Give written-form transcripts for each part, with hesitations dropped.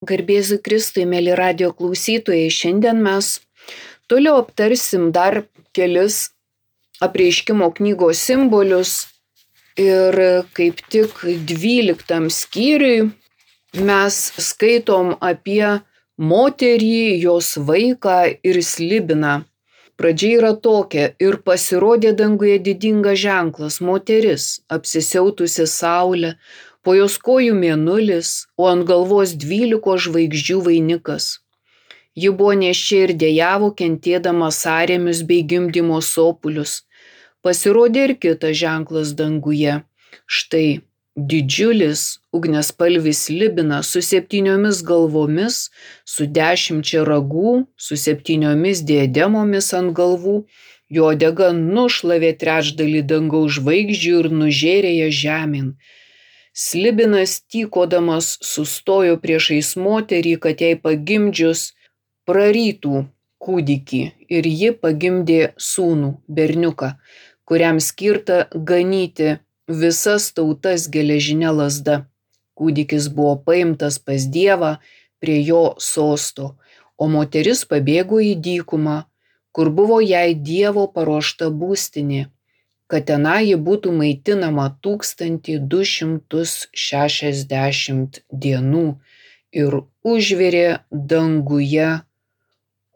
Garbėzu Kristui, mėly radijo klausytojai, šiandien mes toliau aptarsim dar kelis apreiškimo knygos simbolius ir kaip tik 12 skyriui mes skaitom apie moterį, jos vaiką ir slibiną. Pradžia yra tokia: ir pasirodė danguje didingas ženklas, moteris, apsisiautusi saulę, po jos kojų mėnulis, o ant galvos 12 žvaigždžių vainikas. Ji buvo nėščia ir dejavo, kentėdama sąrėmius bei gimdymo sopulius. Pasirodė ir kitas ženklas danguje. Štai didžiulis ugniaspalvis slibinas su 7 galvomis, su 10 ragų, su 7 diademomis ant galvų. Jo uodega nušlavė trečdalį dangaus žvaigždžių ir nužėrė jas žemėn. Slibinas tykodamas sustojo priešais moterį, kad jai pagimdžius prarytų kūdikį, ir ji pagimdė sūnų, berniuką, kuriam skirta ganyti visas tautas geležinė lazda. Kūdikis buvo paimtas pas Dievą prie jo sosto, o moteris pabėgo į dykumą, kur buvo jai Dievo paruošta būstinė, kad tenai ji būtų maitinama 1260 dienų, ir užvirė danguje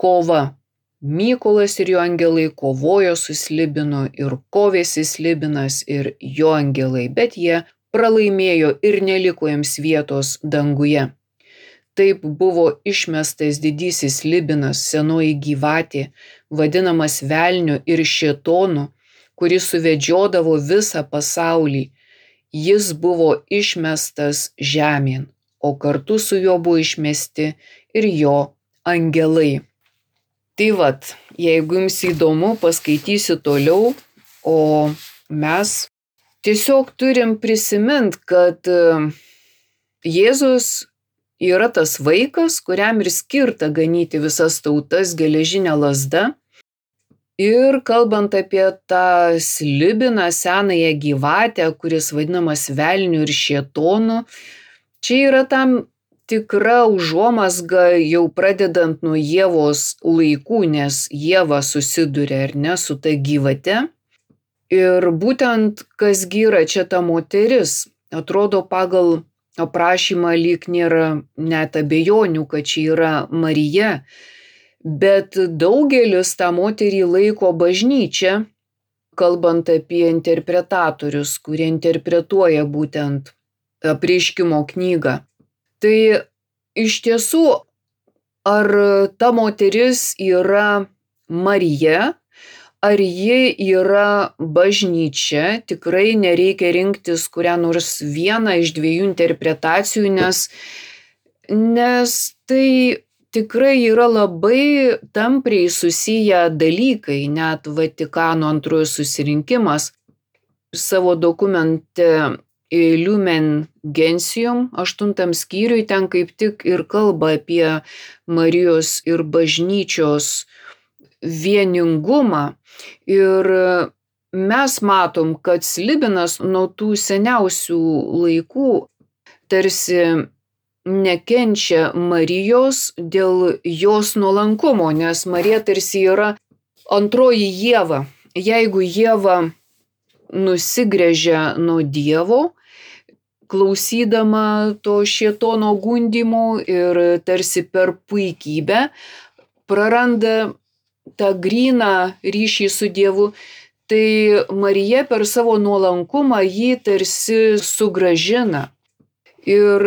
kova. Mykolas ir jo angelai kovojo su slibinu, ir kovėsi slibinas ir jo angelai, bet jie pralaimėjo ir neliko jiems vietos danguje. Taip buvo išmestas didysis slibinas, senoji gyvatė, vadinamas velniu ir šėtonu, kuris suvedžiodavo visą pasaulį. Jis buvo išmestas žemėn, o kartu su juo buvo išmesti ir jo angelai. Tai vat, jeigu jums įdomu, paskaitysiu toliau, o mes tiesiog turim prisimint, kad Jėzus yra tas vaikas, kuriam ir skirta ganyti visas tautas geležinė lazda. Ir kalbant apie tą slibiną, senąją gyvatę, kuris vadinamas velniu ir šėtonu, čia yra tam tikra užuomazga jau pradedant nuo Ievos laikų, nes Ieva susiduria ar ne su ta gyvate. Ir būtent kasgi yra čia ta moteris. Atrodo, pagal aprašymą lyg nėra net abejonių, kad čia yra Marija. Bet daugelis tą moterį laiko bažnyčia, kalbant apie interpretatorius, kurie interpretuoja būtent apreiškimo knygą. Tai iš tiesų, ar ta moteris yra Marija, ar ji yra bažnyčia, tikrai nereikia rinktis kurią nors vieną iš 2 interpretacijų, nes tai tikrai yra labai tampriai susiję dalykai. Net Vatikano antrojo susirinkimas savo dokumente Lumen Gentium 8 skyriui ten kaip tik ir kalba apie Marijos ir bažnyčios vieningumą. Ir mes matom, kad slibinas nuo tų seniausių laikų tarsi nekenčia Marijos dėl jos nuolankumo, nes Marija tarsi yra antroji Ieva. Jeigu Ieva nusigręžia nuo Dievo, klausydama to šėtono gundymų ir tarsi per puikybę praranda tą gryną ryšį su Dievu, tai Marija per savo nuolankumą jį tarsi sugrąžina. Ir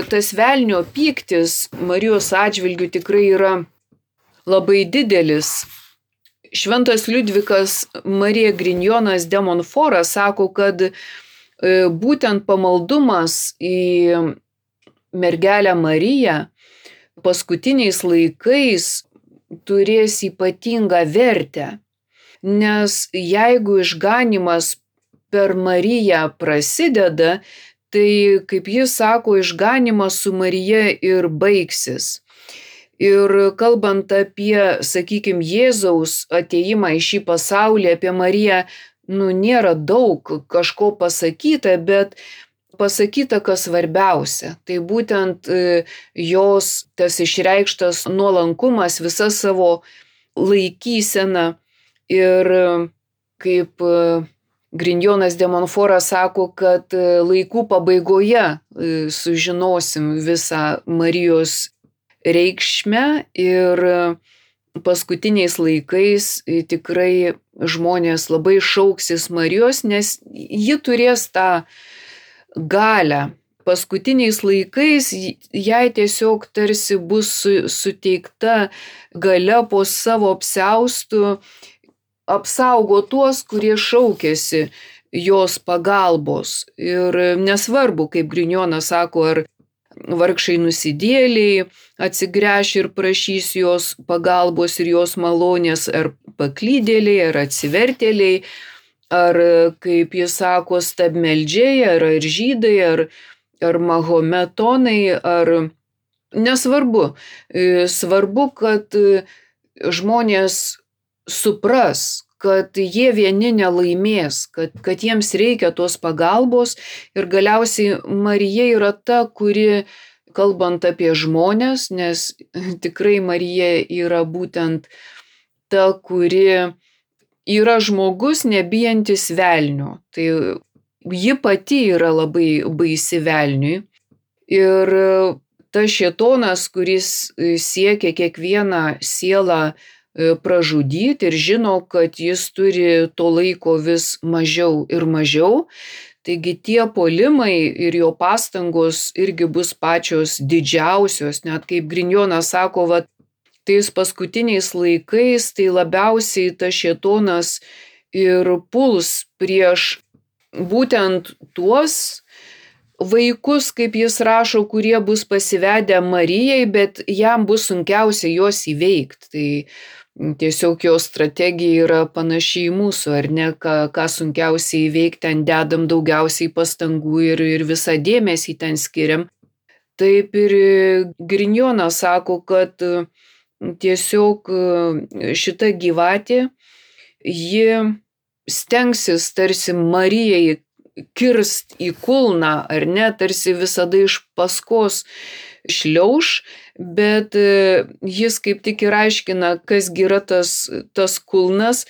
tas velnio pyktis Marijos atžvilgiu tikrai yra labai didelis. Šventas Liudvikas Marija Grignonas de Montfort sako, kad būtent pamaldumas į mergelę Mariją paskutiniais laikais turės ypatingą vertę, nes jeigu išganymas per Mariją prasideda, tai, kaip jis sako, išganymas su Marija ir baigsis. Ir kalbant apie, sakykime, Jėzaus atėjimą į šį pasaulį, apie Mariją, nėra daug kažko pasakyta, bet pasakyta, kas svarbiausia. Tai būtent jos tas išreikštas nuolankumas, visa savo laikysena ir kaip Grignonas de Montfortas sako, kad laikų pabaigoje sužinosim visą Marijos reikšmę ir paskutiniais laikais tikrai žmonės labai šauksis Marijos, nes ji turės tą galią. Paskutiniais laikais jai tiesiog tarsi bus suteikta galia po savo apsiaustu apsaugo tuos, kurie šaukėsi jos pagalbos. Ir nesvarbu, kaip Grignonas sako, ar vargšai nusidėliai atsigręš ir prašys jos pagalbos ir jos malonės, ar paklydėliai, ar atsivertėliai, ar, kaip jis sako, stabmeldžiai, ar žydai, ar mahometonai, ar nesvarbu. Svarbu, kad žmonės supras, kad jie vieni nelaimės, kad jiems reikia tos pagalbos ir galiausiai Marija yra ta, kuri, kalbant apie žmonės, nes tikrai Marija yra būtent ta, kuri yra žmogus nebijantis velnio. Tai ji pati yra labai baisi velniui ir tas šėtonas, kuris siekia kiekvieną sielą pražudyti ir žino, kad jis turi to laiko vis mažiau ir mažiau. Taigi tie puolimai ir jo pastangos irgi bus pačios didžiausios, net kaip Grignonas sako, tais paskutiniais laikais tai labiausiai tas šėtonas ir puls prieš būtent tuos vaikus, kaip jis rašo, kurie bus pasivedę Marijai, bet jam bus sunkiausia juos įveikti. Tai tiesiog jo strategija yra panašiai į mūsų, ar ne, ką sunkiausiai įveikti, ten dedam daugiausiai pastangų ir visą dėmesį ten skiriam. Taip ir Grignonas sako, kad tiesiog šita gyvatė, ji stengsis tarsi Marijai kirst į kulną, ar ne, tarsi visada iš paskos šliauš, bet jis kaip tik ir aiškina, kasgi yra tas kulnas.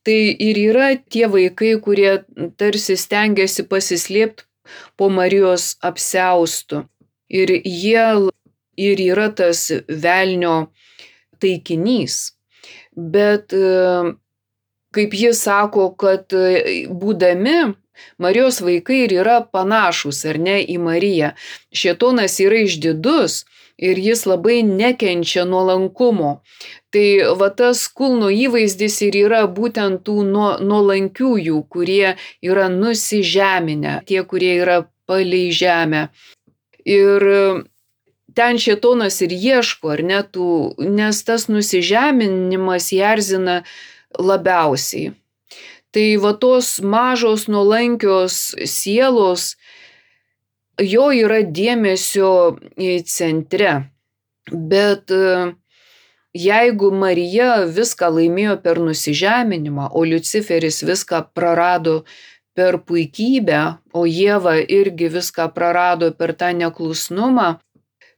Tai ir yra tie vaikai, kurie tarsi stengiasi pasislėpti po Marijos apsiaustu. Ir jie ir yra tas velnio taikinys. Bet kaip jis sako, kad būdami Marijos vaikai ir yra panašus, ar ne, į Mariją. Šėtonas yra išdidus ir jis labai nekenčia nuolankumo. Tai tas kulno įvaizdis ir yra būtent tų nuolankiųjų, kurie yra nusižeminę, tie, kurie yra palei žemę. Ir ten šėtonas ir ieško, ar ne, nes tas nusižeminimas jį erzina labiausiai. Tai tos mažos nuolankios sielos, jo yra dėmesio centre. Bet jeigu Marija viską laimėjo per nusižeminimą, o Liuciferis viską prarado per puikybę, o Ieva irgi viską prarado per tą neklusnumą,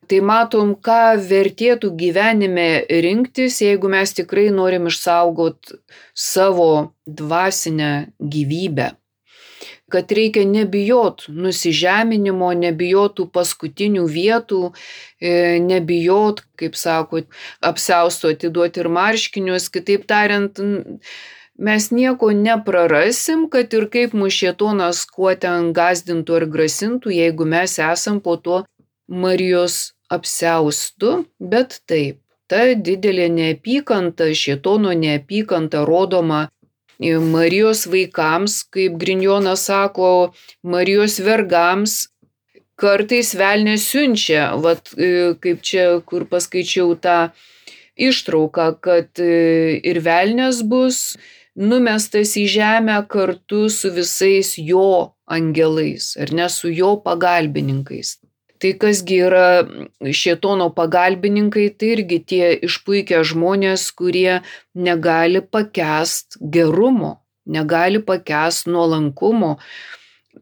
tai matom, ką vertėtų gyvenime rinktis, jeigu mes tikrai norim išsaugoti savo dvasinę gyvybę. Kad reikia nebijot nusižeminimo, nebijot tų paskutinių vietų, nebijot, kaip sako, apsiausto atiduoti ir marškinius. Kitaip tariant, mes nieko neprarasim, kad ir kaip mūsų šėtonas kuo ten gazdintų ar grasintų, jeigu mes esam po to Marijos apsiaustu, bet taip, ta didelė neapykanta, šėtono neapykanta rodoma Marijos vaikams, kaip Grignonas sako, Marijos vergams, kartais velnias siunčia, kaip čia, kur paskaičiau tą ištrauką, kad ir velnias bus numestas į žemę kartu su visais jo angelais, ar ne, su jo pagalbininkais. Tai kasgi yra šėtono pagalbininkai, tai irgi tie išpuikę žmonės, kurie negali pakęst gerumo, negali pakęst nuolankumo.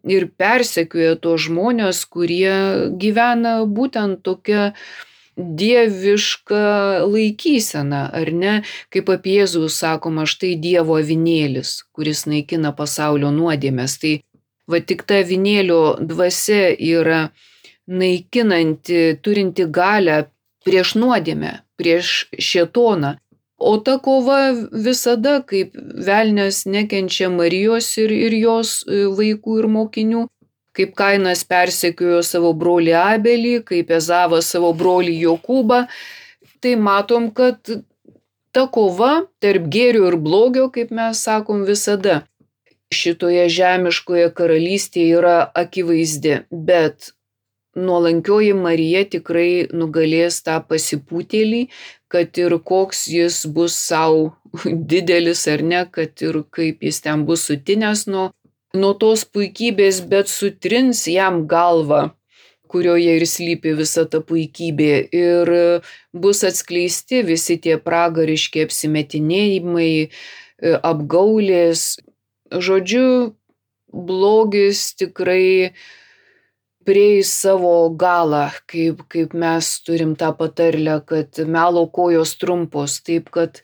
ir persekioja tos žmonės, kurie gyvena būtent tokia dieviška laikysena, ar ne? Kaip apie Jėzų sakoma, štai Dievo avinėlis, kuris naikina pasaulio nuodėmes. Tai va tik ta avinėlio dvasia yra naikinanti, turinti galią prieš nuodėmę, prieš šėtoną. O ta kova visada, kaip velnias nekenčia Marijos ir jos vaikų ir mokinių, kaip Kainas persekiojo savo brolį Abelį, kaip Ezavas savo brolį Jokūbą, tai matom, kad ta kova tarp gėrio ir blogio, kaip mes sakom, visada šitoje žemiškoje karalystėje yra akivaizdi, bet nuolankioji Marija tikrai nugalės tą pasipūtėlį, kad ir koks jis bus savo didelis ar ne, kad ir kaip jis ten bus sutinęs nuo tos puikybės, bet sutrins jam galvą, kurioje ir slypi visa ta puikybė, ir bus atskleisti visi tie pragariški apsimetinėjimai, apgaulės. Žodžiu, blogis tikrai prieis savo galą, kaip mes turim tą patarlę, kad melo kojos trumpos, taip kad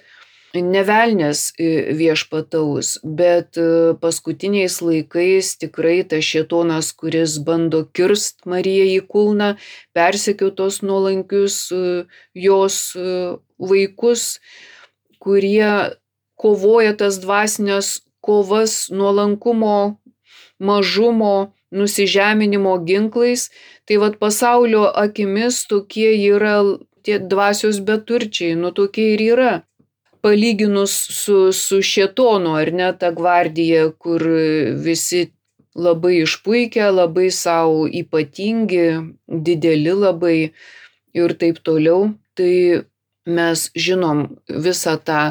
ne velnias viešpataus, bet paskutiniais laikais tikrai tas šėtonas, kuris bando kirst Mariją į kulną, persekiotos nuolankius jos vaikus, kurie kovoja tas dvasinės kovas nuolankumo, mažumo, nusižeminimo ginklais, tai vat pasaulio akimis tokie yra tie dvasios beturčiai, tokie ir yra. Palyginus su šėtonu, ar ne, ta gvardija, kur visi labai išpuikę, labai savo ypatingi, dideli labai ir taip toliau, tai mes žinom visą tą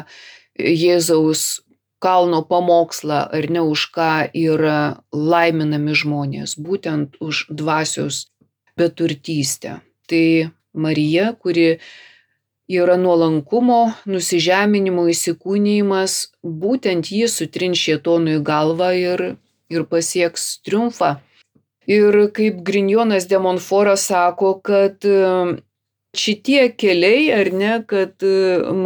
Jėzaus kalno pamokslą, ar ne, už ką yra laiminami žmonės, būtent už dvasios beturtystę. Tai Marija, kuri yra nuolankumo, nusižeminimo įsikūnijimas, būtent ji sutrins šėtonui galvą ir pasieks triumfą. Ir kaip Grignonas de Montfortas sako, kad šitie keliai, ar ne, kad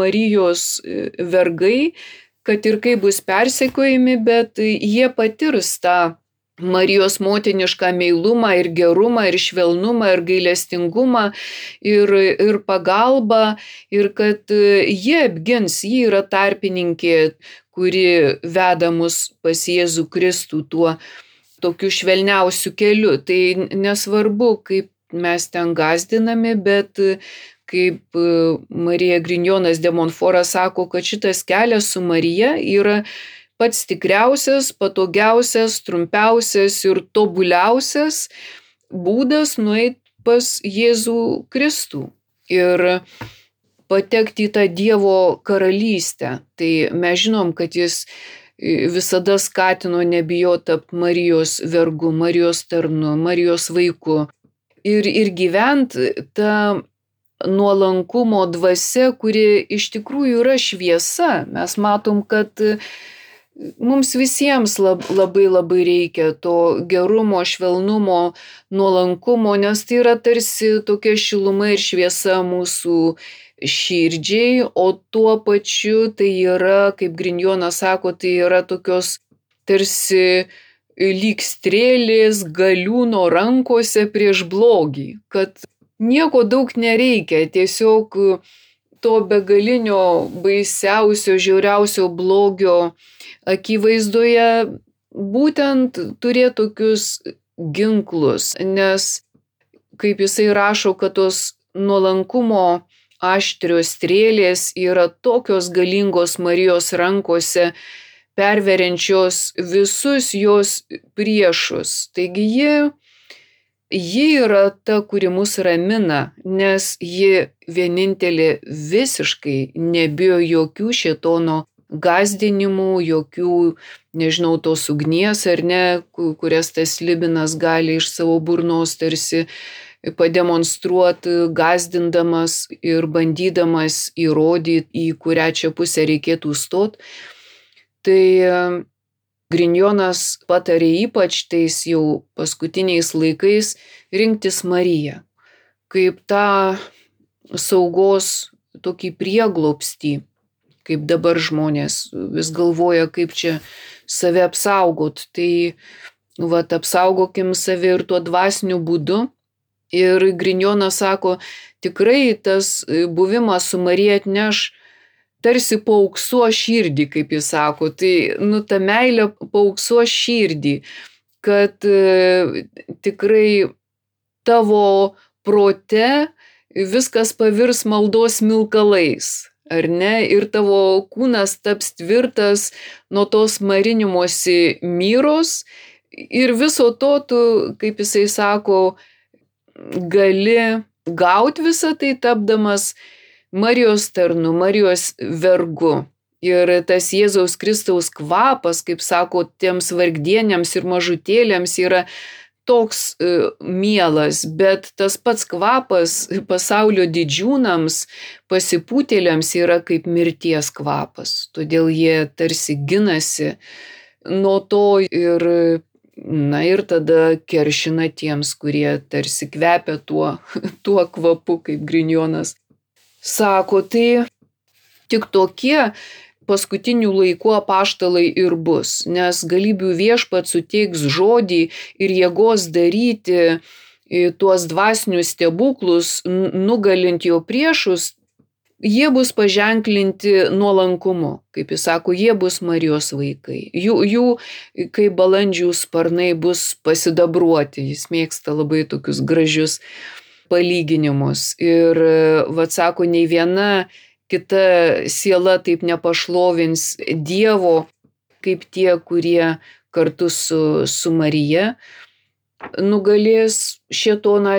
Marijos vergai, kad ir kaip bus persekiojami, bet jie patirs tą Marijos motinišką meilumą ir gerumą ir švelnumą ir gailestingumą ir pagalbą, ir kad jie apgins, ji yra tarpininkė, kuri veda mus pas Jėzų Kristų tuo tokiu švelniausiu keliu. Tai nesvarbu, kaip mes ten gąsdinami, bet kaip Marija Grignonas de Montfortas sako, kad šitas kelias su Marija yra pats tikriausias, patogiausias, trumpiausias ir tobuliausias būdas nueiti pas Jėzų Kristų ir patekti į tą Dievo karalystę. Tai mes žinom, kad jis visada skatino nebijoti tapti Marijos vergu, Marijos tarnu, Marijos vaiku ir gyventi tą nuolankumo dvasia, kuri iš tikrųjų yra šviesa. Mes matom, kad mums visiems labai reikia to gerumo, švelnumo, nuolankumo, nes tai yra tarsi tokia šiluma ir šviesa mūsų širdžiai, o tuo pačiu tai yra, kaip Grignonas sako, tai yra tokios tarsi lyg strėlės galiūno rankose prieš blogį, kad nieko daug nereikia, tiesiog to begalinio, baisiausio, žiauriausio blogio akivaizdoje būtent turėti tokius ginklus, nes, kaip jisai rašo, kad tos nuolankumo aštrios strėlės yra tokios galingos Marijos rankose, perveriančios visus jos priešus. Taigi ji yra ta, kuri mus ramina, nes ji vienintelė visiškai nebijo jokių šėtono gąsdinimų, jokių, nežinau, tos ugnies ar ne, kurias tas slibinas gali iš savo burnos tarsi pademonstruoti, gąsdindamas ir bandydamas įrodyti, į kurią čia pusę reikėtų stoti. Tai Grignonas patarė ypač tais jau paskutiniais laikais rinktis Mariją, kaip tą saugos tokį prieglobstį, kaip dabar žmonės vis galvoja, kaip čia save apsaugot. Tai apsaugokim save ir tuo dvasiniu būdu. Ir Grignonas sako, tikrai tas buvimas su Marija atneš tarsi paauksuo širdį, kaip jis sako. Tai, ta meilė paauksuo širdį, kad tikrai tavo prote viskas pavirs maldos smilkalais, ar ne? Ir tavo kūnas taps tvirtas nuo tos marinimosi myros ir viso to tu, kaip jisai sako, gali gauti visą tai tapdamas Marijos tarnu, Marijos vergu. Ir tas Jėzaus Kristaus kvapas, kaip sako, tiems vargdieniams ir mažutėliams yra toks mielas, bet tas pats kvapas pasaulio didžiūnams, pasipūtėliams yra kaip mirties kvapas. Todėl jie tarsi ginasi nuo to ir tada keršina tiems, kurie tarsi kvepia tuo kvapu, kaip Grignonas sako. Tai tik tokie paskutinių laikų apaštalai ir bus, nes galybių viešpats suteiks žodį ir jėgos daryti tuos dvasinius stebuklus, nugalint jo priešus. Jie bus paženklinti nuolankumu, kaip jis sako, jie bus Marijos vaikai. Jų kaip balandžių sparnai bus pasidabruoti. Jis mėgsta labai tokius gražius palyginimus. Ir sako, nei viena kita siela taip nepašlovins Dievo, kaip tie, kurie kartu su Marija nugalės šėtoną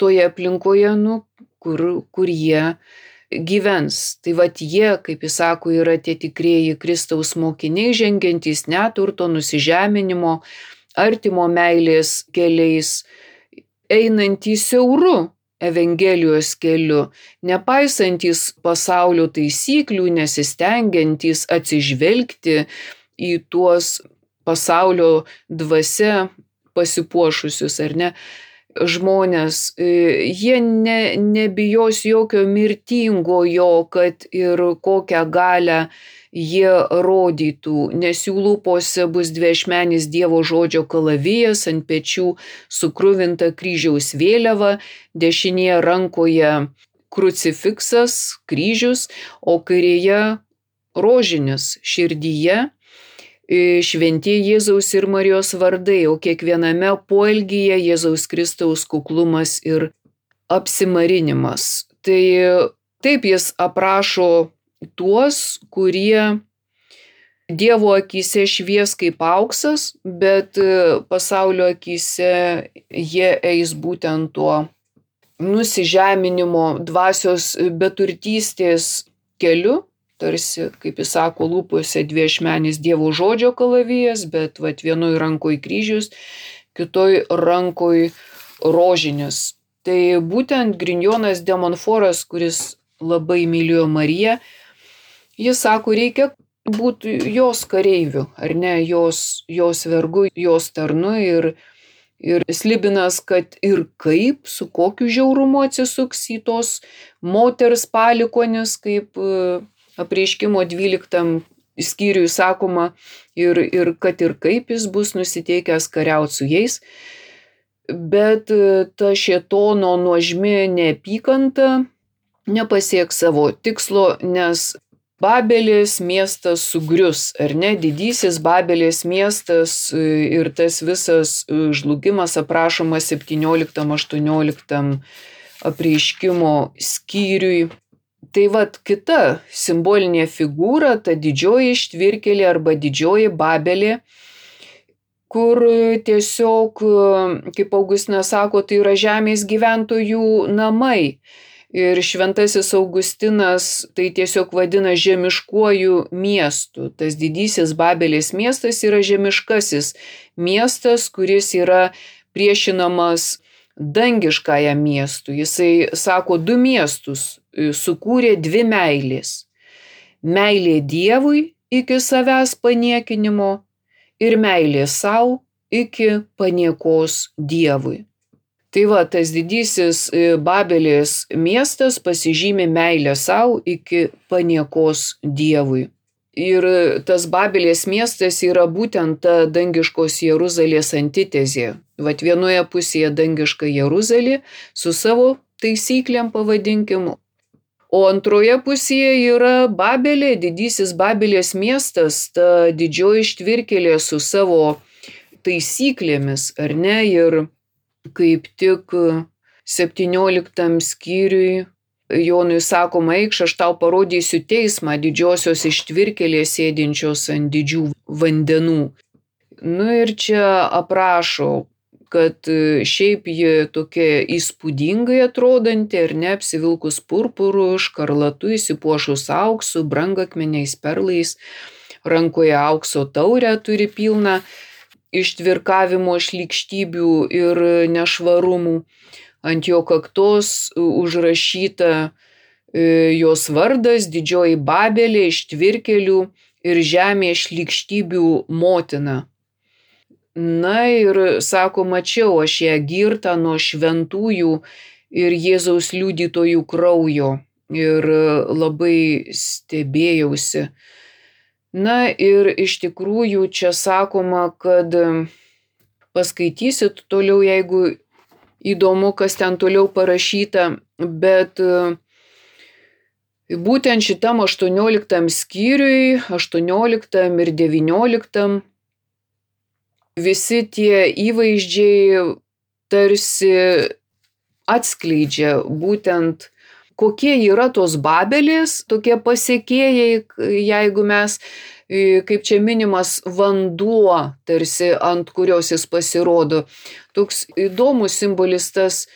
toje aplinkoje, kur jie gyvens. Tai jie, kaip jis sako, yra tie tikrieji Kristaus mokiniai, žengiantys neturto, nusižeminimo, artimo meilės keliais, einantys siauru Evangelijos keliu, nepaisantys pasaulio taisyklių, nesistengiantys atsižvelgti į tuos pasaulio dvasia pasipuošusius, ar ne, žmonės. Jie nebijos jokio mirtingojo, kad ir kokią galią jie rodytų, nes jų lūpose bus dviašmenis Dievo žodžio kalavijas, ant pečių sukruvinta kryžiaus vėliava, dešinėje rankoje krucifiksas, kryžius, o kairėje rožinis, širdyje šventieji Jėzaus ir Marijos vardai, o kiekviename poelgyje Jėzaus Kristaus kuklumas ir apsimarinimas. Tai taip jis aprašo tuos, kurie Dievo akyse švies kaip auksas, bet pasaulio akyse jie eis būtent tuo nusižeminimo, dvasios beturtystės keliu. Tarsi, kaip jis sako, lūpose dviašmenis Dievo žodžio kalavijas, bet vienoj rankoj kryžius, kitoj rankoj rožinis. Tai būtent Grignonas de Montfortas, kuris labai mylėjo Mariją, jis sako, reikia būti jos kareiviu, ar ne, jos vergu, jos tarnu ir Slibinas, kad ir kaip, su kokiu žiaurumu atsisuks į tos moters palikonis, kaip Apreiškimo 12 skyriui sakoma, ir kad ir kaip jis bus nusiteikęs kariauti su jais, bet ta šėtono nuožmi neapykanta nepasieks savo tikslo, nes Babelės miestas sugrius, ar ne, didysis Babelės miestas ir tas visas žlugimas aprašomas 17-18 Apreiškimo skyriui. Tai kita simbolinė figūra, ta didžioji ištvirkėlė arba didžioji Babelė, kur tiesiog, kaip Augustinas sako, tai yra žemės gyventojų namai. Ir šventasis Augustinas tai tiesiog vadina žemiškuoju miestu. Tas didysis Babelės miestas yra žemiškasis miestas, kuris yra priešinamas dangiškajam miestui. Jisai sako, 2 miestus sukūrė 2 meilės. Meilė Dievui iki savęs paniekinimo ir meilė sau iki paniekos Dievui. Tai va, tas didysis Babelės miestas pasižymi meilę sau iki paniekos Dievui. Ir tas Babelės miestas yra būtent ta dangiškos Jeruzalės antitezė. Vat vienoje pusėje dangiška Jeruzalė su savo taisyklėm pavadinkim, o antroje pusėje yra Babelė, didysis Babelės miestas, ta didžioji ištvirkėlė su savo taisyklėmis, ar ne? Ir kaip tik 17 skyriui Jonui sakoma, eikš, aš tau parodysiu teismą didžiosios ištvirkėlės sėdinčios ant didžių vandenų. Nu ir čia aprašo, kad šiaip ji tokia įspūdingai atrodanti, ar ne, apsivilkus purpuru, škarlatu, įsipuošus auksu, brangakmeniais, perlais, rankoje aukso taurę turi pilną ištvirkavimo šlykštybių ir nešvarumų. Ant jo kaktos užrašyta jos vardas, didžioji Babelė, ištvirkėlių ir žemė šlykštybių motina. Na ir sako, mačiau aš ją girtą nuo šventųjų ir Jėzaus liudytojų kraujo ir labai stebėjausi. Na ir iš tikrųjų čia sakoma, kad paskaitysit toliau, jeigu įdomu, kas ten toliau parašyta, bet būtent šitam 18 skyriui, 18 ir 19 visi tie įvaizdžiai tarsi atskleidžia būtent kokie yra tos Babelės, tokie pasekėjai, jeigu mes, kaip čia minimas, vanduo, tarsi ant kurios jis pasirodo. Toks įdomus simbolis tas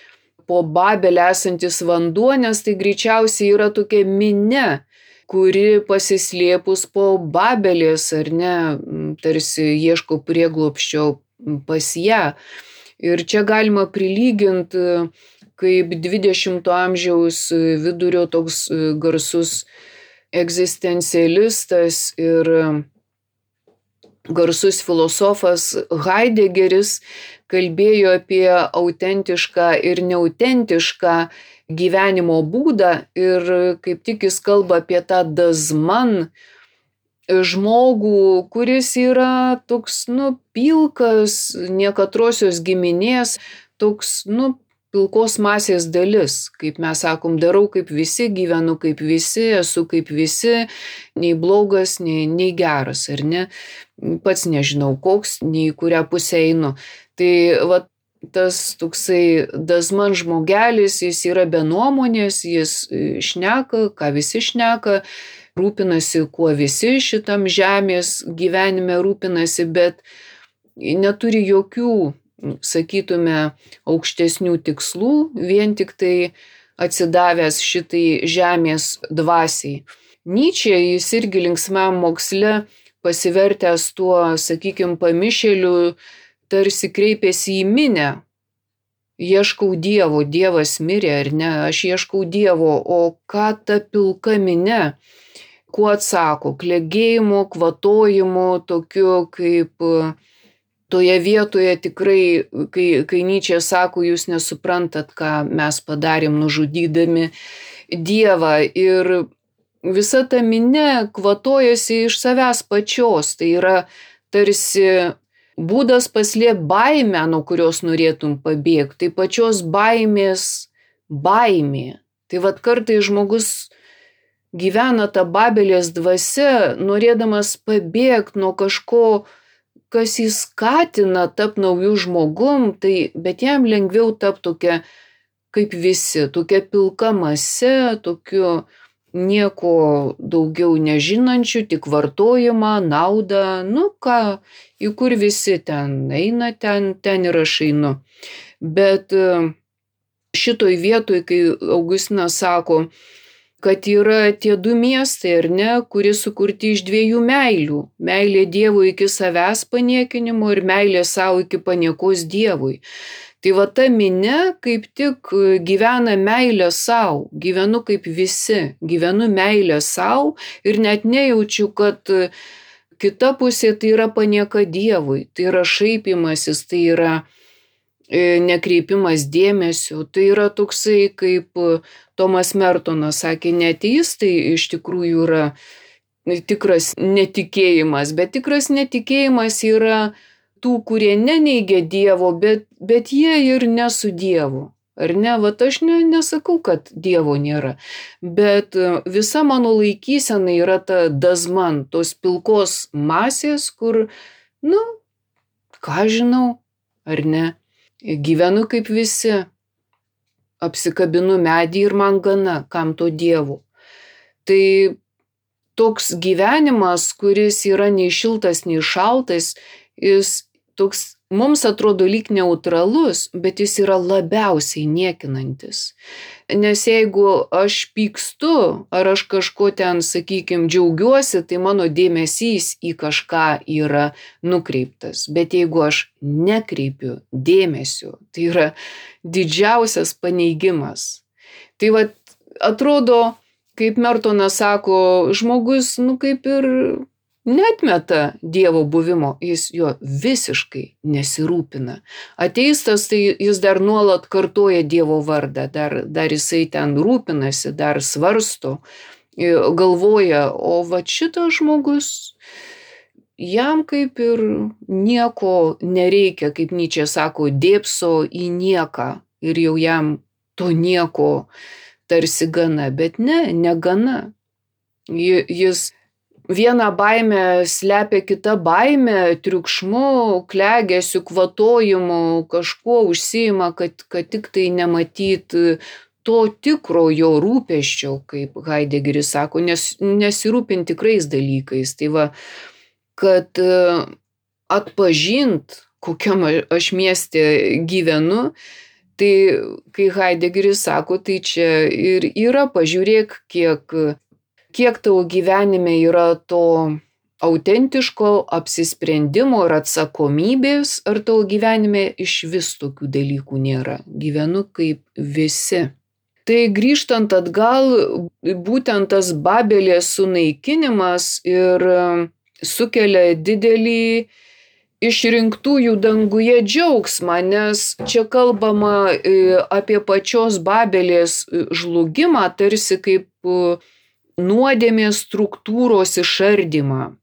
po Babelę esantis vanduo, nes tai greičiausiai yra tokia minia, kuri pasislėpus po Babelės, ar ne, tarsi ieško prieglobsčio pas ją. Ir čia galima prilyginti kaip 20 amžiaus vidurio toks garsus egzistencialistas ir garsus filosofas Haidegeris kalbėjo apie autentišką ir neautentišką gyvenimo būdą ir kaip tik jis kalba apie tą dazman žmogų, kuris yra toks, pilkas, niekatrosios giminės, toks, pilkos masės dalis, kaip mes sakom, darau kaip visi, gyvenu kaip visi, esu kaip visi, nei blogas, nei geras, ar ne? Pats nežinau koks, nei kurią pusę einu. Tai va, tas toksai dazman žmogelis, jis yra be nuomonės, jis šneka, ką visi šneka, rūpinasi, kuo visi šitam žemės gyvenime rūpinasi, bet neturi jokių, sakytume, aukštesnių tikslų, vien tik tai atsidavęs šitai žemės dvasiai. Nyčė, jis irgi linksmam moksle pasivertęs tuo, sakykim, pamišėliu, tarsi kreipėsi į minią. Ieškau Dievo, Dievas mirė ar ne, aš ieškau Dievo, o ką ta pilka minia, kuo atsako, klegėjimu, kvatojimu, tokiu kaip toje vietoje tikrai, kai Nyčė sako, jūs nesuprantat, ką mes padarėm nužudydami Dievą. Ir visa ta minia kvatojasi iš savęs pačios. Tai yra tarsi būdas paslėpti baimę, nuo kurios norėtum pabėgti. Tai pačios baimės baimė. Tai vat kartais žmogus gyvena tą Babelės dvasia, norėdamas pabėgti nuo kažko, kas jį skatina tapti naujų žmogum, bet jam lengviau tapti tokia kaip visi, tokia pilka mase, tokiu nieko daugiau nežinančių, tik vartojimą, naudą, į kur visi ten eina, ten ir aš einu. Bet šitoj vietoj, kai Augustinas sako, kad yra tie du miestai, ar ne, kurie sukurti iš dviejų meilių. Meilė Dievui iki savęs paniekinimo ir meilė savo iki paniekos Dievui. Tai va ta minia kaip tik gyvena meilę savo, gyvenu kaip visi, gyvenu meilę savo ir net nejaučiu, kad kita pusė tai yra panieka Dievui, tai yra šaipimasis, tai yra nekreipimas dėmesio, tai yra toksai, kaip Tomas Mertonas sakė, ne ateistai iš tikrųjų yra tikras netikėjimas, bet tikras netikėjimas yra tų, kurie neneigia Dievo, bet jie ir ne su Dievu. Ar ne? Vat aš nesakau, kad Dievo nėra, bet visa mano laikysena yra ta dazman, tos pilkos masės, kur, ką žinau, ar ne, gyvenu kaip visi, apsikabinu medį ir man gana, kam to Dievo. Tai toks gyvenimas, kuris yra nei šiltas, nei šaltas, jis toks mums atrodo lyg neutralus, bet jis yra labiausiai niekinantis. Nes jeigu aš pykstu, ar aš kažko ten, sakykime, džiaugiuosi, tai mano dėmesys į kažką yra nukreiptas. Bet jeigu aš nekreipiu dėmesio, tai yra didžiausias paneigimas. Tai atrodo, kaip Mertonas sako, žmogus, kaip ir neatmeta Dievo buvimo, jis jo visiškai nesirūpina. Ateistas, tai jis dar nuolat kartoja Dievo vardą, dar jisai ten rūpinasi, dar svarsto, galvoja, o šitas žmogus, jam kaip ir nieko nereikia, kaip Nyčė sako, dėpso į nieką ir jau jam to nieko tarsi gana, bet negana. Jis vieną baimę slepia kitą baimę, triukšmu, klegesiu, kvatojimu, kažkuo užsiima, kad tik tai nematyt to tikro jo rūpesčio, kaip Haidegeris sako, nesirūpint tikrais dalykais. Tai kad atpažint, kokiam aš mieste gyvenu, tai kai Haidegeris sako, tai čia ir yra, pažiūrėk, kiek tavo gyvenime yra to autentiško apsisprendimo ir atsakomybės, ar tavo gyvenime iš vis tokių dalykų nėra. Gyvenu kaip visi. Tai grįžtant atgal, būtent tas Babelės sunaikinimas ir sukelia didelį išrinktųjų danguje džiaugsmą, nes čia kalbama apie pačios Babelės žlugimą, tarsi kaip nuodėmės struktūros išardymą,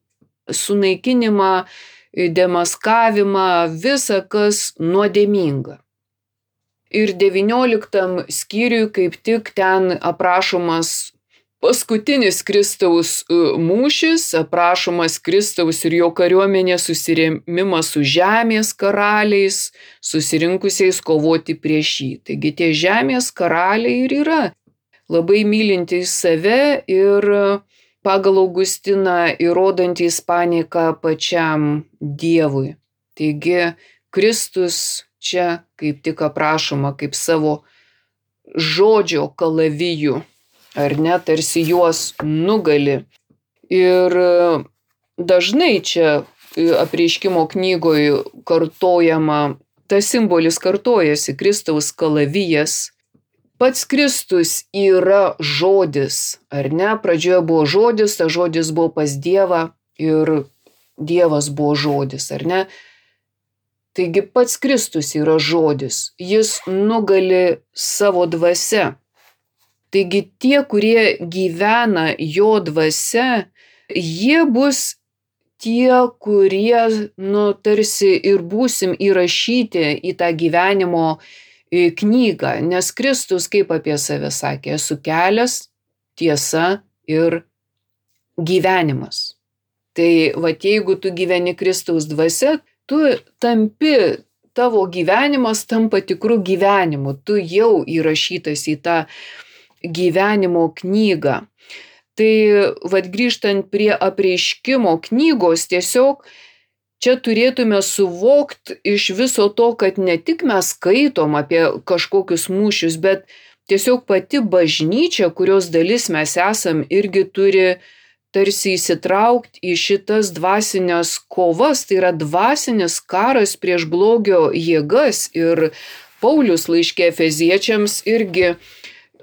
sunaikinimą, demaskavimą, visa kas nuodėminga. Ir 19 skyriui kaip tik ten aprašomas paskutinis Kristaus mūšis, aprašomas Kristaus ir jo kariuomenės susirėmimas su žemės karaliais, susirinkusiais kovoti prieš jį. Taigi tie žemės karaliai ir yra labai mylintys save ir pagal Augustiną įrodantys panieką pačiam Dievui. Taigi Kristus čia kaip tik aprašoma kaip savo žodžio kalavijų, ar ne, tarsi juos nugali. Ir dažnai čia apreiškimo knygoje kartojama, tas simbolis kartojasi, Kristaus kalavijas. Pats Kristus yra žodis, ar ne? Pradžioje buvo žodis, tas žodis buvo pas Dievą ir Dievas buvo žodis, ar ne? Taigi pats Kristus yra žodis, jis nugali savo dvasia. Taigi tie, kurie gyvena jo dvasia, jie bus tie, kurie, tarsi ir būsim įrašyti į tą gyvenimo knygą, nes Kristus kaip apie save sakė, esu kelias, tiesa ir gyvenimas. Tai jeigu tu gyveni Kristaus dvasia, tu tampi, tavo gyvenimas tampa tikrų gyvenimu, tu jau įrašytas į tą gyvenimo knygą. Tai grįžtant prie apreiškimo knygos, tiesiog čia turėtume suvokti iš viso to, kad ne tik mes skaitom apie kažkokius mūšius, bet tiesiog pati bažnyčia, kurios dalis mes esam, irgi turi tarsi įsitraukti į šitas dvasinės kovas, tai yra dvasinis karas prieš blogio jėgas. Ir Paulius laiške Efeziečiams irgi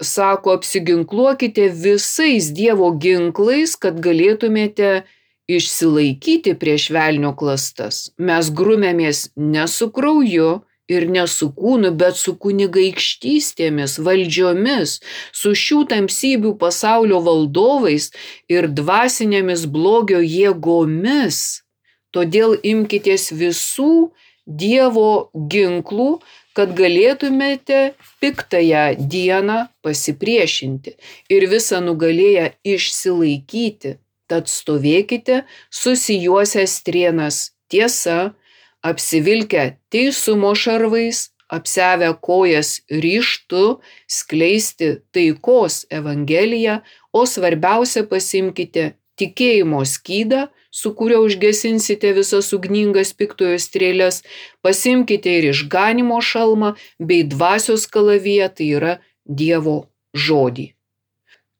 sako, apsiginkluokite visais Dievo ginklais, kad galėtumėte išsilaikyti prieš velnio klastas, mes grumėmės ne su krauju ir ne su kūnu, bet su kunigaikštystėmis, valdžiomis, su šių tamsybių pasaulio valdovais ir dvasinėmis blogio jėgomis. Todėl imkitės visų Dievo ginklų, kad galėtumėte piktąją dieną pasipriešinti ir visą nugalėję išsilaikyti. Tad stovėkite susijuosę strėnas tiesa, apsivilkę teisumo šarvais, apsiavę kojas ryžtu skleisti taikos evangeliją, o svarbiausia pasiimkite tikėjimo skydą, su kuriuo užgesinsite visas ugningas piktojo strėles, pasiimkite ir išganymo šalmą bei dvasios kalaviją, tai yra Dievo žodį.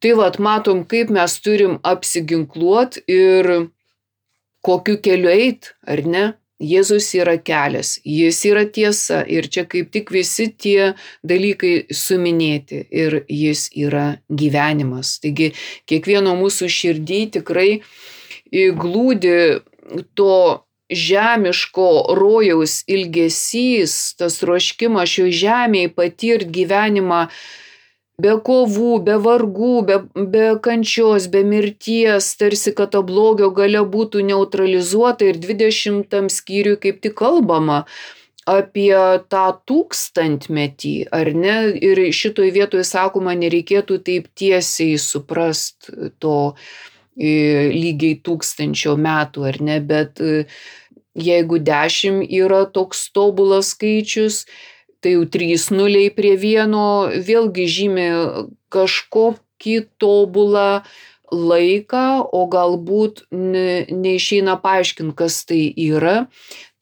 Tai matom, kaip mes turim apsiginkluoti ir kokiu keliu eit, ar ne? Jėzus yra kelias, jis yra tiesa ir čia kaip tik visi tie dalykai suminėti ir jis yra gyvenimas. Taigi kiekvieno mūsų širdį tikrai glūdi to žemiško rojaus ilgesys, tas troškimas šioje žemėje patirti gyvenimą be kovų, be vargų, be kančios, be mirties, tarsi kad to blogio galia būtų neutralizuota ir 20 skyriui kaip tik kalbama apie tą 1000-metį, ar ne? Ir šitoj vietoje sakoma, nereikėtų taip tiesiai suprast to lygiai 1000 metų, ar ne? Bet jeigu 10 yra toks tobulas skaičius, tai jau 3 nuliai prie 1 vėlgi žymi kažkokį tobulą laiką, o galbūt neišeina paaiškinti, kas tai yra.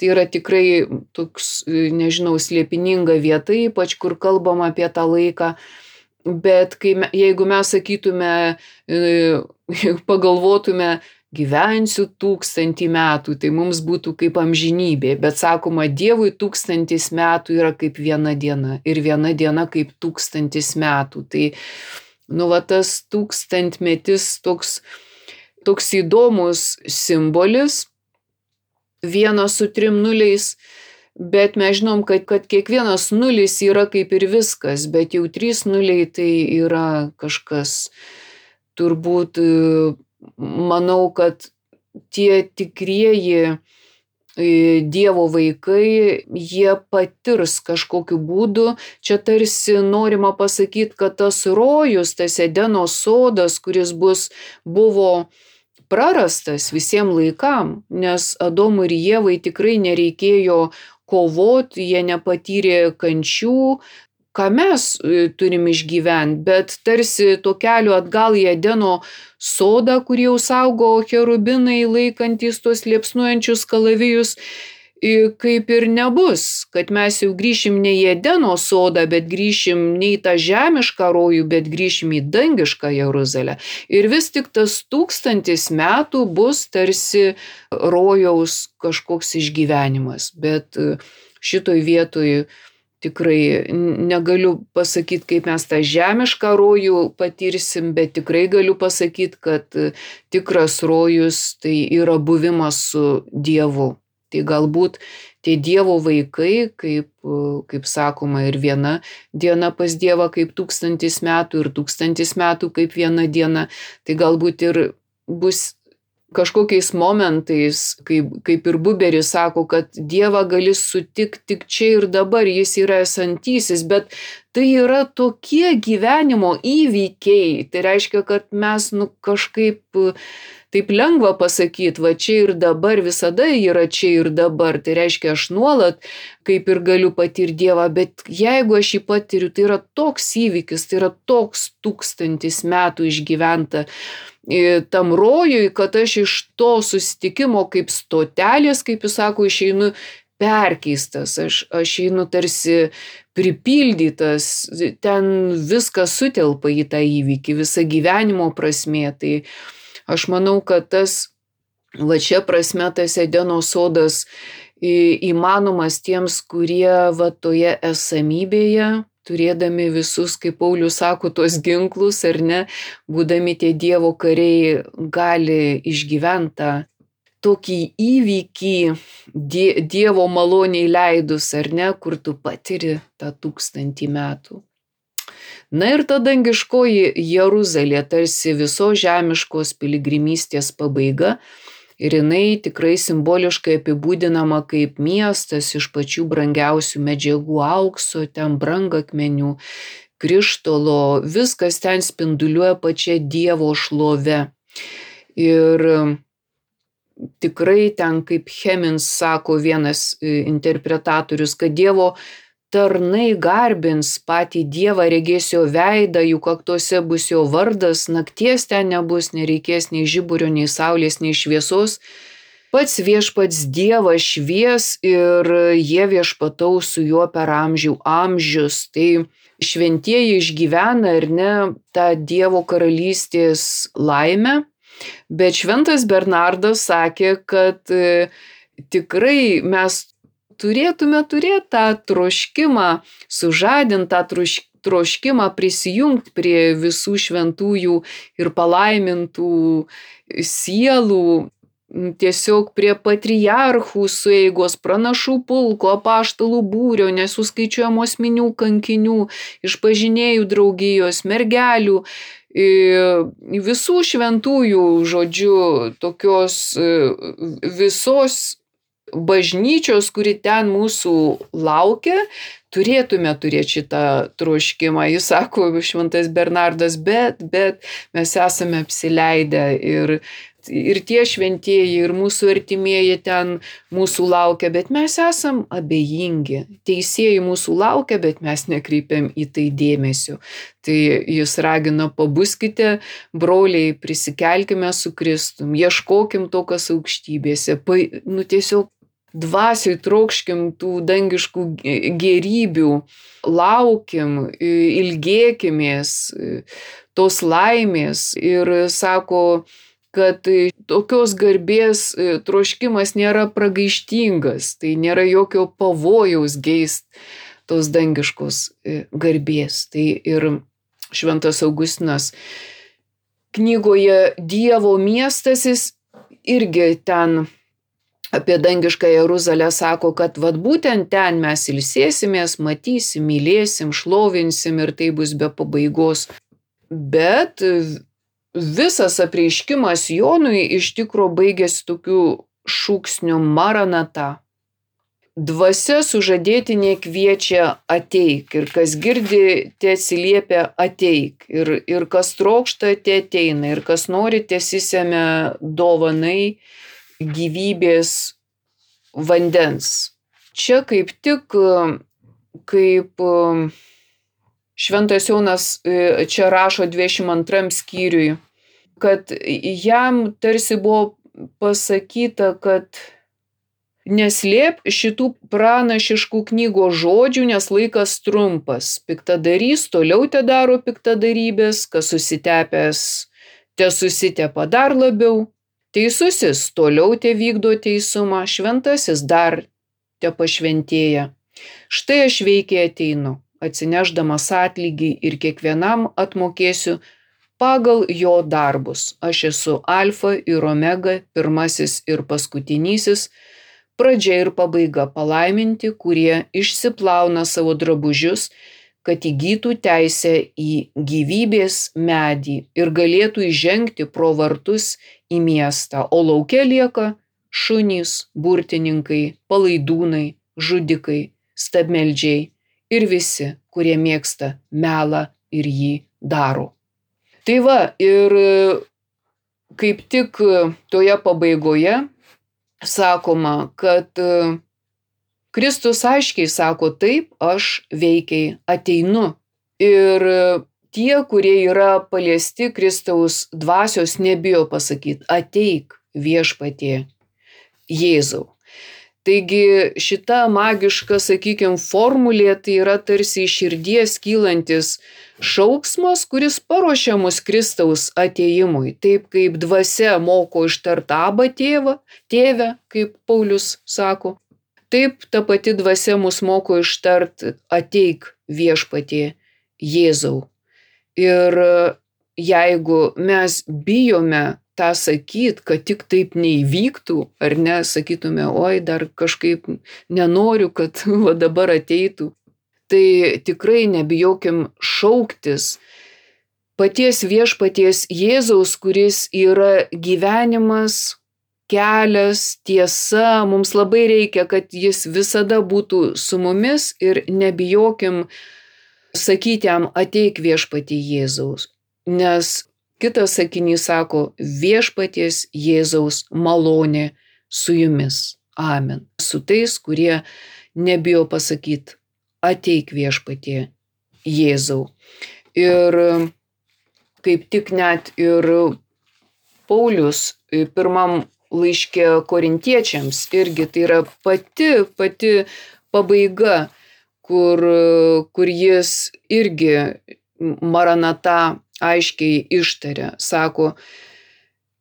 Tai yra tikrai toks, nežinau, slėpininga vieta, ypač kur kalbam apie tą laiką. Bet jeigu mes sakytume, pagalvotume, gyvensiu 1000 metų, tai mums būtų kaip amžinybė. Bet sakoma, Dievui 1000 metų yra kaip 1 diena ir 1 diena kaip 1000 metų. Tai, tas 1000-metis toks įdomus simbolis, 1 su 3 nuliais, bet mes žinom, kad kiekvienas nulis yra kaip ir viskas, bet jau 3 nuliai tai yra kažkas turbūt. Manau, kad tie tikrieji Dievo vaikai, jie patirs kažkokiu būdu. Čia tarsi norima pasakyti, kad tas rojus, tas Edeno sodas, kuris buvo prarastas visiems laikam, nes Adomui ir Ievai tikrai nereikėjo kovoti, jie nepatyrė kančių, ką mes turim išgyventi, bet tarsi to kelio atgal į Edeno sodą, kur jau saugo cherubinai laikantys tuos liepsnuojančius kalavijus, kaip ir nebus, kad mes jau grįšim ne į Edeno sodą, bet grįšim ne į tą žemišką rojų, bet grįšim į dangišką Jeruzalę. Ir vis tik tas 1000 metų bus tarsi rojaus kažkoks išgyvenimas, bet šitoj vietoj tikrai negaliu pasakyti, kaip mes tą žemišką rojų patirsim, bet tikrai galiu pasakyti, kad tikras rojus tai yra buvimas su Dievu. Tai galbūt tie Dievo vaikai, kaip sakoma, ir 1 diena pas Dievą kaip 1000 metų ir 1000 metų kaip 1 diena, tai galbūt ir bus kažkokiais momentais, kaip ir Buberis sako, kad Dievą gali sutikti tik čia ir dabar, jis yra esantysis, bet tai yra tokie gyvenimo įvykiai. Tai reiškia, kad mes kažkaip taip lengva pasakyti, va čia ir dabar, visada yra čia ir dabar. Tai reiškia, aš nuolat kaip ir galiu patirti Dievą, bet jeigu aš jį patiriu, tai yra toks įvykis, tai yra toks 1000 metų išgyventa tam rojui, kad aš iš to susitikimo kaip stotelės, kaip jis sako, išeinu perkeistas, aš einu tarsi pripildytas, ten viskas sutelpa į tą įvykį, visa gyvenimo prasmė. Tai aš manau, kad va čia prasme tas Edeno sodas įmanomas tiems, kurie va toje esamybėje, turėdami visus, kaip Paulius sako, tos ginklus, ar ne, būdami tie Dievo kariai, gali išgyventi tą tokį įvykį Dievo maloniai leidus, ar ne, kur tu patiri tą 1000 metų. Na ir ta dangiškoji Jeruzalė tarsi visos žemiškos piligrimystės pabaiga ir jinai tikrai simboliškai apibūdinama kaip miestas iš pačių brangiausių medžiagų, aukso, ten brangakmenių, krištolo, viskas ten spinduliuoja pačia Dievo šlove. Ir tikrai ten, kaip Hemins sako vienas interpretatorius, kad Dievo tarnai garbins patį Dievą, regės jo veidą, jų kaktuose bus jo vardas, nakties ten nebus, nereikės nei žiburio, nei saulės, nei šviesos. Pats viešpats Dievas švies ir jie viešpataus su juo per amžius. Tai šventieji išgyvena ar ne tą Dievo karalystės laimę, bet šventas Bernardas sakė, kad tikrai mes turėtume turėti tą troškimą, sužadinti tą troškimą prisijungti prie visų šventųjų ir palaimintų sielų, tiesiog prie patriarchų sueigos, pranašų pulko, apaštalų būrio, nesuskaičiuojamos minių kankinių, išpažinėjų draugijos, mergelių, visų šventųjų, žodžiu, tokios visos bažnyčios, kuri ten mūsų laukia, turėtume turėti šitą troškimą. Jis sako, šventas Bernardas, bet mes esame apsileidę ir tie šventieji, ir mūsų artimieji ten mūsų laukia, bet mes esam abejingi. Teisėjai mūsų laukia, bet mes nekreipiam į tai dėmesio. Tai jis ragina, pabuskite, broliai, prisikelkime su Kristum, ieškokim to, kas aukštybėse, tiesiog dvasioj trokškim tų dangiškų gėrybių, laukim, ilgėkimės tos laimės ir sako, kad tokios garbės troškimas nėra pragaištingas, tai nėra jokio pavojaus geist tos dangiškos garbės. Tai ir šventas Augustinas knygoje Dievo miestas, jis irgi ten apie dangišką Jeruzalę sako, kad būtent ten mes ilsėsimės, matysim, mylėsim, šlovinsim ir tai bus be pabaigos. Bet visas apreiškimas Jonui iš tikro baigėsi tokiu šūksniu Maranata. Dvasia sužadėtinė kviečia ateik ir kas girdi, te atsiliepia ateik ir kas trokšta, te ateina ir kas nori, tesisemia dovanai gyvybės vandens. Čia kaip tik, kaip šventas Jonas čia rašo 22 skyriui, kad jam tarsi buvo pasakyta, kad neslėp šitų pranašiškų knygos žodžių, nes laikas trumpas. Piktadarys toliau te daro piktadarybės, kas susitepęs te susitepa dar labiau. Teisusis toliau te vykdo teisumą, šventasis dar te pašventėja. Štai aš veikiai ateinu, atsinešdamas atlygį ir kiekvienam atmokėsiu pagal jo darbus. Aš esu alfa ir omega, pirmasis ir paskutinysis, pradžia ir pabaiga, palaiminti, kurie išsiplauna savo drabužius, kad įgytų teisę į gyvybės medį ir galėtų įžengti pro vartus į miestą, o lauke lieka šunys, burtininkai, palaidūnai, žudikai, stabmeldžiai ir visi, kurie mėgsta melą ir jį daro. Tai va, ir kaip tik toje pabaigoje sakoma, kad Kristus aiškiai sako, taip, aš veikiai ateinu. Ir tie, kurie yra paliesti Kristaus dvasios, nebijo pasakyti, ateik viešpatie Jėzau. Taigi šita magiška, sakykime, formulė tai yra tarsi iš širdies kylantis šauksmas, kuris paruošia mus Kristaus atėjimui. Taip kaip dvasia moko ištart Abba tėve, kaip Paulius sako. Taip ta pati dvasia mus moko ištart ateik viešpatie Jėzau. Ir jeigu mes bijome tą sakyt, kad tik taip neįvyktų, ar ne, sakytume, oi, dar kažkaip nenoriu, kad va dabar ateitų. Tai tikrai nebijokim šauktis paties viešpaties Jėzaus, kuris yra gyvenimas, kelias, tiesa. Mums labai reikia, kad jis visada būtų su mumis ir nebijokim sakyti jam, ateik viešpatie Jėzaus. Nes kitas sakinys sako, viešpaties Jėzaus malonė su jumis. Amen. Su tais, kurie nebijo pasakyti, ateik viešpatie Jėzau. Ir kaip tik net ir Paulius pirmam laiške korintiečiams irgi tai yra pati pabaiga, kur jis irgi Maranata aiškiai ištaria. Sako,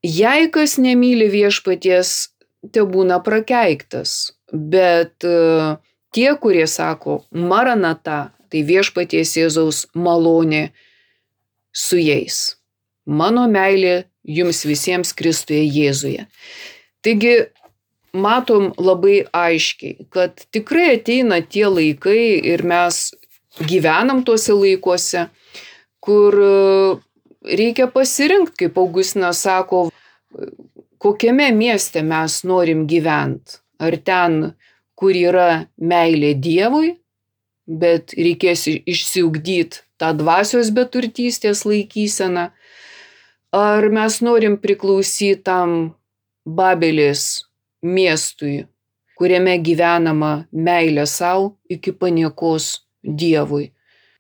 jei kas nemyli viešpaties, tebūna prakeiktas, bet tie, kurie sako Maranata, tai viešpaties Jėzaus malonė su jais. Mano meilė jums visiems Kristuje Jėzuje. Taigi matom labai aiškiai, kad tikrai ateina tie laikai ir mes gyvenam tuose laikuose, kur reikia pasirinkti, kaip Augustinas sako, kokiame mieste mes norim gyventi. Ar ten, kur yra meilė Dievui, bet reikės išsiugdyti tą dvasios beturtystės laikyseną, ar mes norim priklausyti tam Babelės miestui, kuriame gyvenama meilė savo iki paniekos Dievui.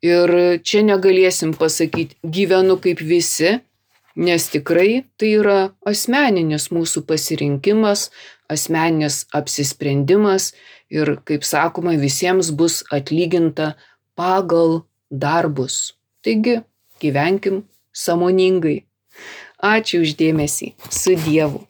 Ir čia negalėsim pasakyti, gyvenu kaip visi, nes tikrai tai yra asmeninis mūsų pasirinkimas, asmeninis apsisprendimas ir, kaip sakoma, visiems bus atlyginta pagal darbus. Taigi, gyvenkim sąmoningai. Ačiū už dėmesį. Su Dievu.